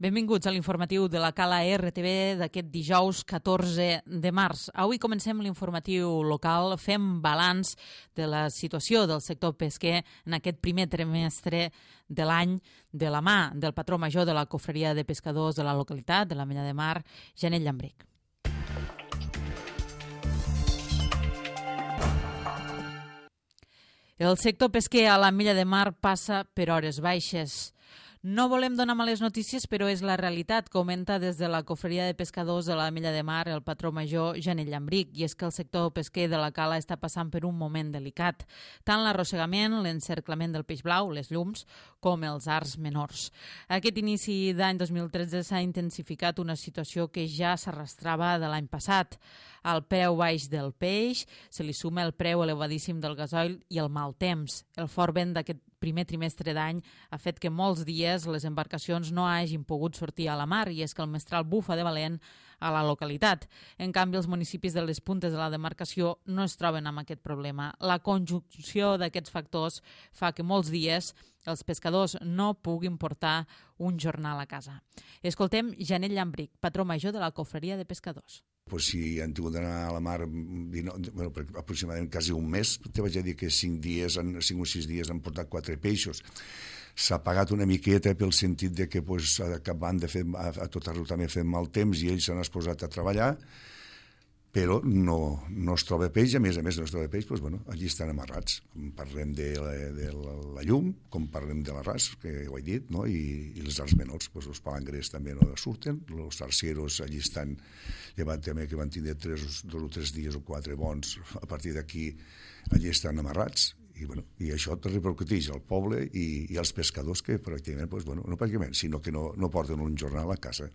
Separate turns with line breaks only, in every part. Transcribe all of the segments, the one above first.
Benvinguts a l'informatiu de la Cala RTV d'aquest dijous 14 de març. Avui comencem l'informatiu local, fem balanç de la situació del sector pesquer en aquest primer trimestre de l'any de la mà del patró major de la Cofreria de Pescadors de la localitat, de l'Ametlla de Mar, Janet Llambric. El sector pesquer a l'Ametlla de Mar passa per hores baixes. No volem donar males notícies, però és la realitat, comenta des de la Cofreria de Pescadors de l'Ametlla de Mar el patró major Janet Llambric, i és que el sector pesquer de la cala està passant per un moment delicat, tant l'arrossegament, l'encerclament del peix blau, les llums, com els arts menors. Aquest inici d'any 2013 s'ha intensificat una situació que ja s'arrastrava de l'any passat. Al preu baix del peix se li suma el preu elevadíssim del gasoil i el mal temps. El fort vent d'aquest primer trimestre d'any ha fet que molts dies les embarcacions no hagin pogut sortir a la mar, i és que el mestral bufa de valent a la localitat. En canvi, els municipis de les puntes de la demarcació no es troben amb aquest problema. La conjunció d'aquests factors fa que molts dies els pescadors no puguin portar un jornal a casa. Escoltem Janet Llambric, patró major de la Cofreria de Pescadors.
Pues si han tingut d'anar a la mar aproximadament quasi un mes, te vaig a dir que 5 o 6 dies han portat 4 peixos. S'ha pagat una miqueta pel sentit de que acabant de fer a tot arreu també fent mal temps i ells s'han exposat a treballar, però no es troba peix, a més no es troba peix, allí estan amarrats. Parlem de la llum, com parlem de l'arràs, que ho he dit, no? I els arts menors, els palangres també no surten, els arceros allí estan, llevat també que van tindre 2 o 3 dies o 4 bons, a partir d'aquí allí estan amarrats, i això repercuteix al poble i als pescadors que pràcticament, no pràcticament, sinó que no porten un jornal a casa.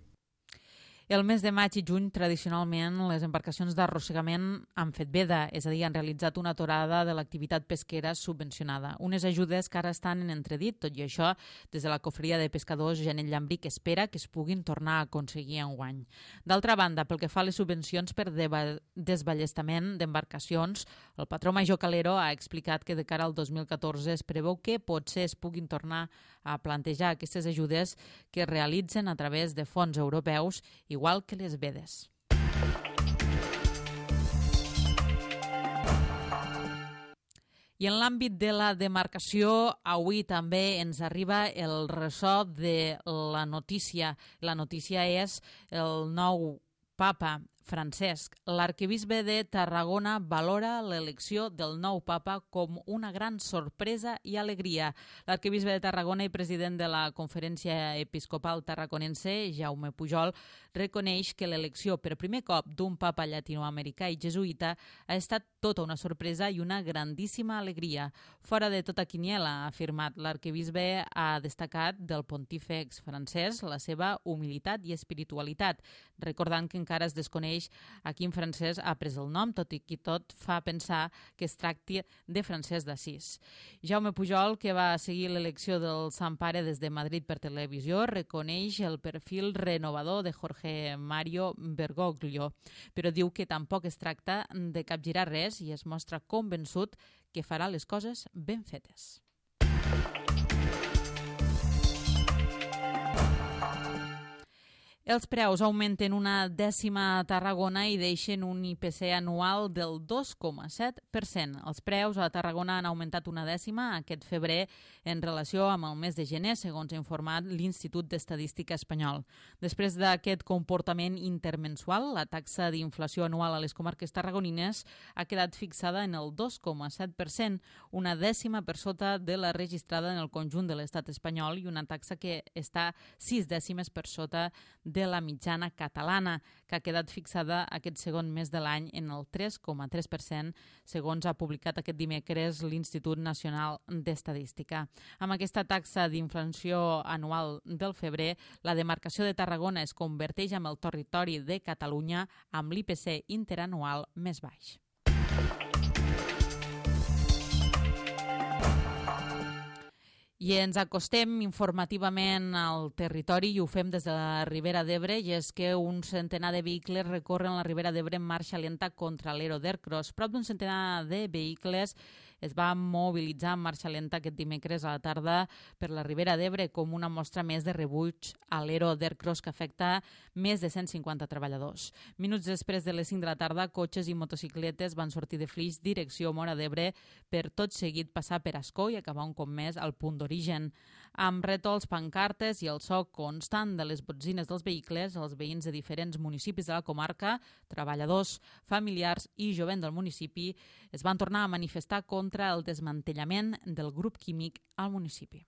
El mes de maig i juny, tradicionalment, les embarcacions d'arrossegament han fet veda, és a dir, han realitzat una aturada de l'activitat pesquera subvencionada. Unes ajudes que ara estan en entredit. Tot i això, des de la Cofreria de Pescadors, Janet Llambric espera que es puguin tornar a aconseguir enguany. D'altra banda, pel que fa a les subvencions per desballestament d'embarcacions, el patró major Calero ha explicat que de cara al 2014 es preveu que potser es puguin tornar a plantejar aquestes ajudes que es realitzen a través de fons europeus, igual que les vedes. I en l'àmbit de la demarcació, avui també ens arriba el ressò de la notícia. La notícia és el nou papa Francesc. L'arquebisbe de Tarragona valora l'elecció del nou papa com una gran sorpresa i alegria. L'arquebisbe de Tarragona i president de la Conferència Episcopal Tarraconense, Jaume Pujol, reconeix que l'elecció per primer cop d'un papa llatinoamericà i jesuïta ha estat tota una sorpresa i una grandíssima alegria. Fora de tota quiniela, ha afirmat. L'arquebisbe ha destacat del pontífex francès la seva humilitat i espiritualitat, recordant que encara es desconeix a quin francès ha pres el nom, tot i que tot fa pensar que es tracti de Francesc d'Assís. Jaume Pujol, que va seguir l'elecció del Sant Pare des de Madrid per televisió, reconeix el perfil renovador de Jorge Mario Bergoglio, però diu que tampoc es tracta de capgirar res i es mostra convençut que farà les coses ben fetes. Els preus augmenten una dècima a Tarragona i deixen un IPC anual del 2,7%. Els preus a Tarragona han augmentat una dècima aquest febrer en relació amb el mes de gener, segons ha informat l'Institut d'Estadística espanyol. Després d'aquest comportament intermensual, la taxa d'inflació anual a les comarques tarragonines ha quedat fixada en el 2,7%, una dècima per sota de la registrada en el conjunt de l'estat espanyol i una taxa que està 6 dècimes per sota de la mitjana catalana, que ha quedat fixada aquest segon mes de l'any en el 3,3%, segons ha publicat aquest dimecres l'Institut Nacional d'Estadística. Amb aquesta taxa d'inflació anual del febrer, la demarcació de Tarragona es converteix en el territori de Catalunya amb l'IPC interanual més baix. I ens acostem informativament al territori i ho fem des de la Ribera d'Ebre, i és que un centenar de vehicles recorren la Ribera d'Ebre en marxa lenta contra l'Ero d'Ercros. Prop d'un centenar de vehicles es va mobilitzar en marxa lenta aquest dimecres a la tarda per la Ribera d'Ebre com una mostra més de rebuig a l'ero d'Aircross que afecta més de 150 treballadors. Minuts després de les 5 de la tarda, cotxes i motocicletes van sortir de Flix direcció Móra d'Ebre per tot seguit passar per Ascó i acabar un cop més al punt d'origen. Amb rètols, pancartes i el so constant de les botzines dels vehicles, els veïns de diferents municipis de la comarca, treballadors, familiars i jovent del municipi es van tornar a manifestar contra el desmantellament del grup químic al municipi.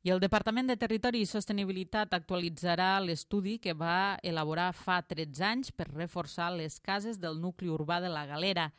I el Departament de Territori i Sostenibilitat actualitzarà l'estudi que va elaborar fa 13 anys per reforçar les cases del nucli urbà de la Galera,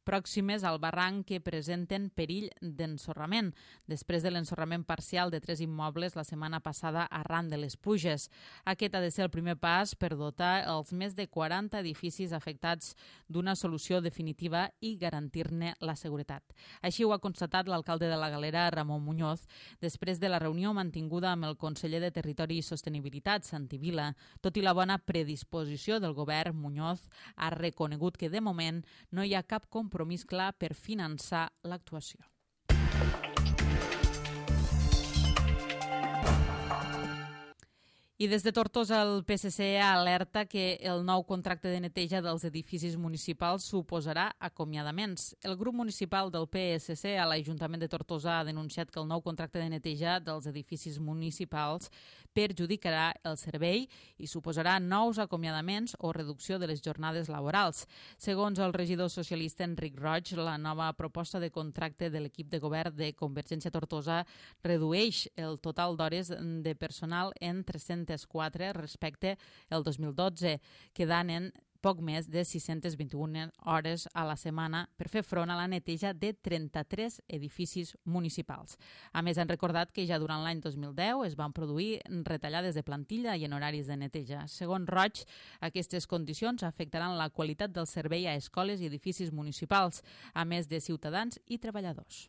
pròximes al barranc que presenten perill d'ensorrament, després de l'ensorrament parcial de 3 immobles la setmana passada arran de les pluges. Aquest ha de ser el primer pas per dotar els més de 40 edificis afectats d'una solució definitiva i garantir-ne la seguretat. Així ho ha constatat l'alcalde de la Galera, Ramon Muñoz, després de la reunió mantinguda amb el conseller de Territori i Sostenibilitat, Santi Vila. Tot i la bona predisposició del govern, Muñoz ha reconegut que de moment no hi ha cap compromís clar per finançar l'actuació. I des de Tortosa el PSC alerta que el nou contracte de neteja dels edificis municipals suposarà acomiadaments. El grup municipal del PSC a l'Ajuntament de Tortosa ha denunciat que el nou contracte de neteja dels edificis municipals perjudicarà el servei i suposarà nous acomiadaments o reducció de les jornades laborals. Segons el regidor socialista Enric Roig, la nova proposta de contracte de l'equip de govern de Convergència Tortosa redueix el total d'hores de personal en 304 respecte al 2012, quedant en poc més de 621 hores a la setmana per fer front a la neteja de 33 edificis municipals. A més, han recordat que ja durant l'any 2010 es van produir retallades de plantilla i en horaris de neteja. Segons Roig, aquestes condicions afectaran la qualitat del servei a escoles i edificis municipals, a més de ciutadans i treballadors.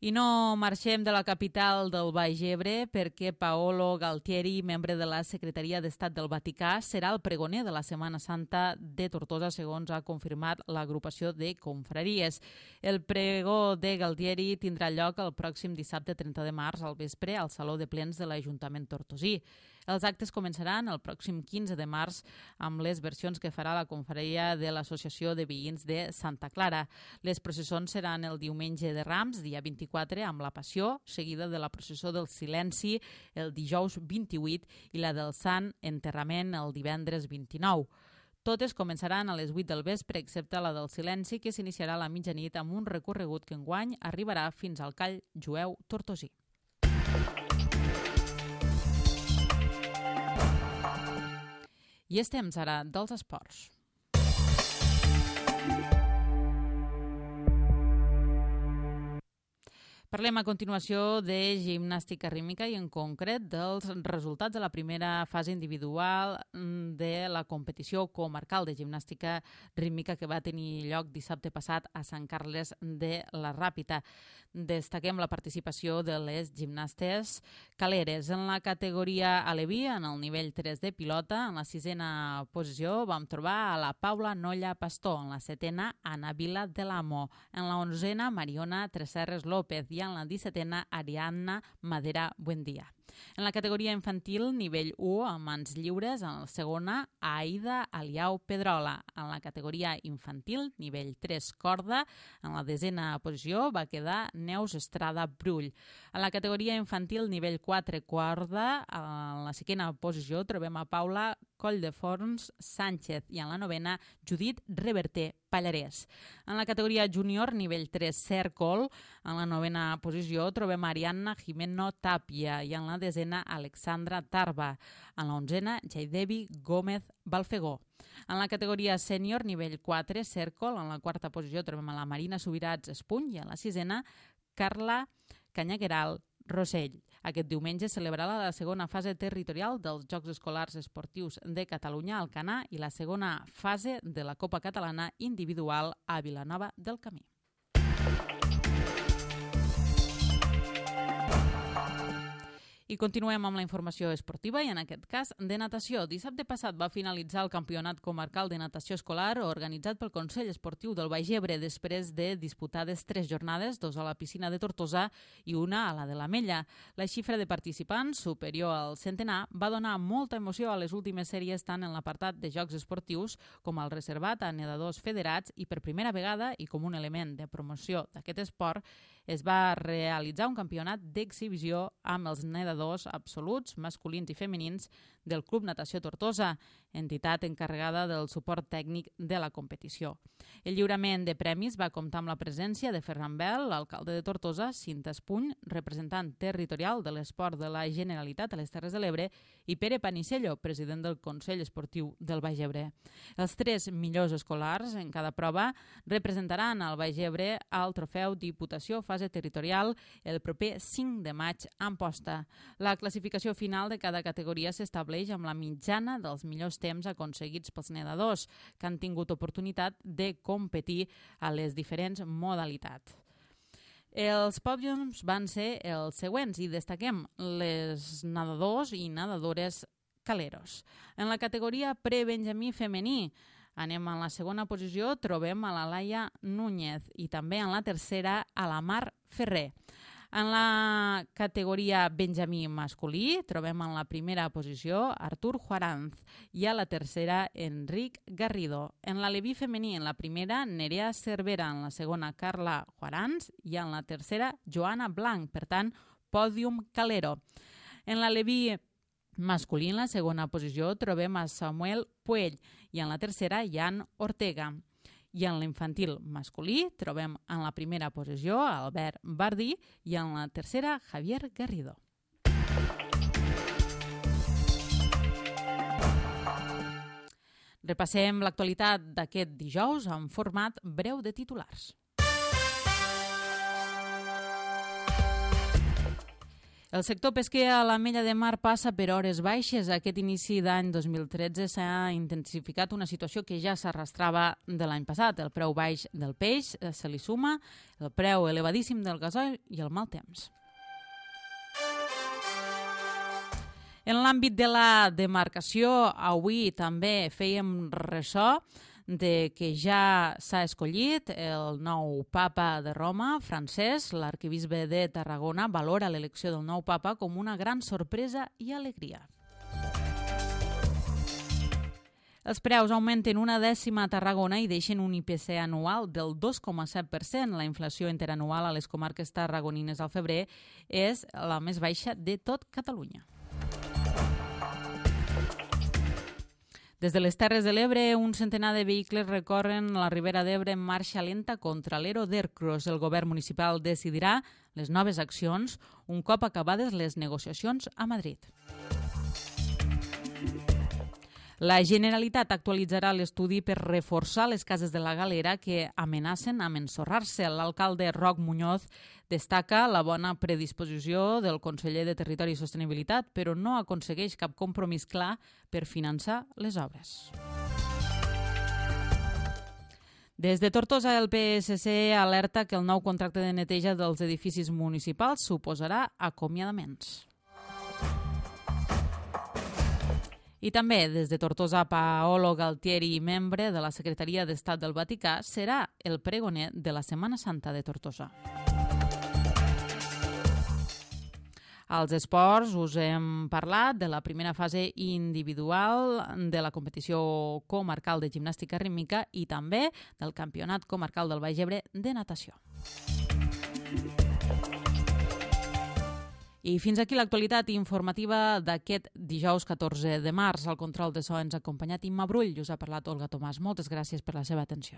I no marxem de la capital del Baix Ebre perquè Paolo Galtieri, membre de la Secretaria d'Estat del Vaticà, serà el pregoner de la Setmana Santa de Tortosa, segons ha confirmat l'agrupació de confraries. El pregó de Galtieri tindrà lloc el pròxim dissabte 30 de març al vespre al Saló de Plens de l'Ajuntament tortosí. Els actes començaran el pròxim 15 de març amb les versions que farà la confraria de l'Associació de Veïns de Santa Clara. Les processons seran el diumenge de Rams, dia 24, amb la Passió, seguida de la processó del Silenci el dijous 28 i la del Sant Enterrament el divendres 29. Totes començaran a les 8 del vespre, excepte la del Silenci, que s'iniciarà a la mitjanit amb un recorregut que enguany arribarà fins al Call Jueu tortosí. I és temps ara dels esports. Parlem a continuació de gimnàstica rítmica i en concret dels resultats de la primera fase individual de la competició comarcal de gimnàstica rítmica que va tenir lloc dissabte passat a Sant Carles de la Ràpita. Destaquem la participació de les gimnastes caleres. En la categoria aleví, en el nivell 3 de pilota, en la 6a posició vam trobar a la Paula Nolla Pastor, en la 7a Ana Vila de l'Amo, en la 11a Mariona Tresserres López i en la 17a Ariadna Madera Buendía. En la categoria infantil, nivell 1, a mans lliures, en la segona, Aida Aliau Pedrola. En la categoria infantil, nivell 3, corda, en la 10a posició va quedar Neus Estrada Brull. En la categoria infantil, nivell 4, corda, en la 5a posició trobem a Paula Colldeforns Sánchez i en la 9a, Judit Reverter Pallarès. En la categoria júnior, nivell 3, cèrcol, en la 9a posició trobem Ariadna Jimeno Tàpia i en la 10a, Alexandra Tarba. En la 11a, Jaidevi Gómez Balfegó. En la categoria sènior, nivell 4, cèrcol, en la 4a posició trobem a la Marina Subirats Espuny i en la 6a, Carla Canyagueral Rossell. Aquest diumenge celebrarà la segona fase territorial dels Jocs Escolars Esportius de Catalunya al Alcanar i la segona fase de la Copa Catalana individual a Vilanova del Camí. I continuem amb la informació esportiva i en aquest cas de natació. Dissabte passat va finalitzar el Campionat Comarcal de Natació Escolar organitzat pel Consell Esportiu del Baix Ebre després de disputades 3 jornades, 2 a la piscina de Tortosa i una a la de l'Ametlla. La xifra de participants, superior al centenar, va donar molta emoció a les últimes sèries tant en l'apartat de jocs esportius com al reservat a nedadors federats i per primera vegada i com un element de promoció d'aquest esport es va realitzar un campionat d'exhibició amb els nedadors absoluts, masculins i femenins del Club Natació Tortosa, entitat encarregada del suport tècnic de la competició. El lliurament de premis va comptar amb la presència de Ferran Bel, l'alcalde de Tortosa, Cinta Espuny, representant territorial de l'esport de la Generalitat a les Terres de l'Ebre, i Pere Panisello, president del Consell Esportiu del Baix Ebre. Els 3 millors escolars en cada prova representaran al Baix Ebre al trofeu Diputació fase territorial el proper 5 de maig a Amposta. La classificació final de cada categoria s'estableix amb la mitjana dels millors temps aconseguits pels nedadors que han tingut oportunitat de competir a les diferents modalitats. Els pòdiums van ser els següents i destaquem les nedadors i nedadores caleros. En la categoria prebenjamí femení, anem a la segona posició, trobem a la Laia Núñez i també en la tercera a la Mar Ferrer. En la categoria benjamí masculí trobem en la primera posició Artur Juaranz i a la tercera Enric Garrido. En la leví femení en la primera Nerea Cervera, en la segona Carla Juaranz i en la tercera Joana Blanc, per tant, pòdium calero. En la leví masculí en la segona posició trobem a Samuel Puell i en la tercera Jan Ortega. I en l'infantil masculí trobem en la primera posició Albert Bardí i en la tercera Javier Garrido. Repassem l'actualitat d'aquest dijous en format breu de titulars. El sector pesquer a l'Ametlla de Mar passa per hores baixes. Aquest inici d'any 2013 s'ha intensificat una situació que ja s'arrastrava de l'any passat. El preu baix del peix se li suma el preu elevadíssim del gasoil i el mal temps. En l'àmbit de la demarcació, avui també fèiem ressò de que ja s'ha escollit el nou papa de Roma, Francesc. L'arquebisbe de Tarragona valora l'elecció del nou papa com una gran sorpresa i alegria. Els preus augmenten 1/10 a Tarragona i deixen un IPC anual del 2,7%. La inflació interanual a les comarques tarragonines al febrer és la més baixa de tot Catalunya. Des de les Terres de l'Ebre, un centenar de vehicles recorren la Ribera d'Ebre en marxa lenta contra l'Ero d'Ercros. El govern municipal decidirà les noves accions un cop acabades les negociacions a Madrid. La Generalitat actualitzarà l'estudi per reforçar les cases de la Galera que amenacen amb ensorrar-se. L'alcalde Roc Muñoz destaca la bona predisposició del conseller de Territori i Sostenibilitat, però no aconsegueix cap compromís clar per finançar les obres. Des de Tortosa, el PSC alerta que el nou contracte de neteja dels edificis municipals suposarà acomiadaments. I també, des de Tortosa, Paolo Galtieri, membre de la Secretaria d'Estat del Vaticà, serà el pregoner de la Setmana Santa de Tortosa. Als esports us hem parlat de la primera fase individual de la competició comarcal de gimnàstica rítmica i també del Campionat Comarcal del Baix Ebre de natació. I fins aquí l'actualitat informativa d'aquest dijous 14 de març. Al control de so ens ha acompanyat Imma Brull i us ha parlat Olga Tomàs. Moltes gràcies per la seva atenció.